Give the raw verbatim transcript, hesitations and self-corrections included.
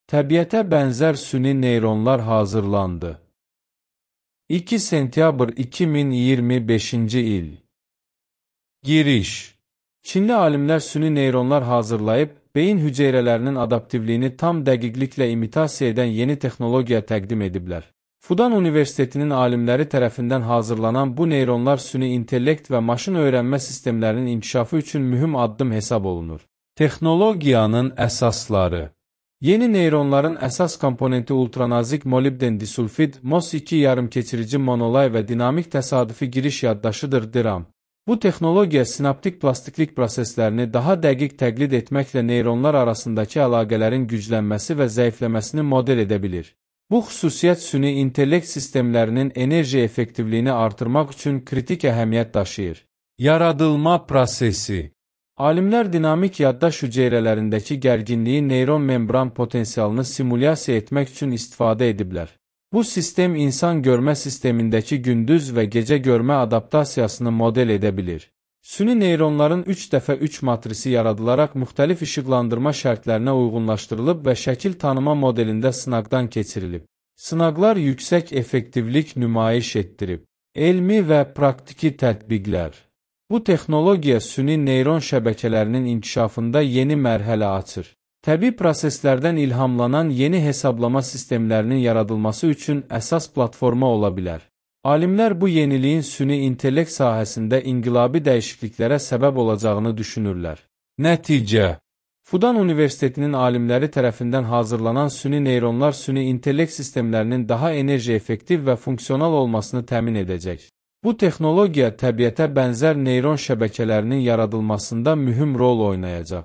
Təbiətə bənzər süni neyronlar hazırlandı. iki sentyabr iki min iyirmi beşinci il. Giriş. Çinli alimlər süni neyronlar hazırlayıb, beyin hüceyrələrinin adaptivliyini tam dəqiqliklə imitasiya edən yeni texnologiya təqdim ediblər. Fudan Universitetinin alimləri tərəfindən hazırlanan bu neyronlar süni intellekt və maşın öyrənmə sistemlərinin inkişafı üçün mühüm addım hesab olunur. Texnologiyanın əsasları. Yeni neyronların əsas komponenti ultranazik molibden disulfid, M O S iki yarımkeçirici monolay və dinamik təsadüfi giriş yaddaşıdır D RAM. Bu texnologiya sinaptik plastiklik proseslərini daha dəqiq təqlid etməklə neyronlar arasındakı əlaqələrin güclənməsi və zəifləməsini model edə bilir. Bu xüsusiyyət süni intellekt sistemlərinin enerji effektivliyini artırmaq üçün kritik əhəmiyyət daşıyır. Yaradılma prosesi. Alimlər dinamik yaddaş hüceyrələrindəki gərginliyi neyron membran potensialını simulyasiya etmək üçün istifadə ediblər. Bu sistem insan görmə sistemindəki gündüz və gecə görmə adaptasiyasını model edə bilir. Süni neyronların üç dəfə üç matrisi yaradılaraq müxtəlif işıqlandırma şərtlərinə uyğunlaşdırılıb və şəkil tanıma modelində sınaqdan keçirilib. Sınaqlar yüksək effektivlik nümayiş etdirib. Elmi və praktiki tətbiqlər. Bu texnologiya süni neyron şəbəkələrinin inkişafında yeni mərhələ açır. Təbii proseslərdən ilhamlanan yeni hesablama sistemlərinin yaradılması üçün əsas platforma ola bilər. Alimlər bu yeniliyin süni intellekt sahəsində inqilabi dəyişikliklərə səbəb olacağını düşünürlər. Nəticə. Fudan Universitetinin alimləri tərəfindən hazırlanan süni neyronlar süni intellekt sistemlərinin daha enerji effektiv və funksional olmasını təmin edəcək. Bu texnologiya təbiətə bənzər neyron şəbəkələrinin yaradılmasında mühüm rol oynayacaq.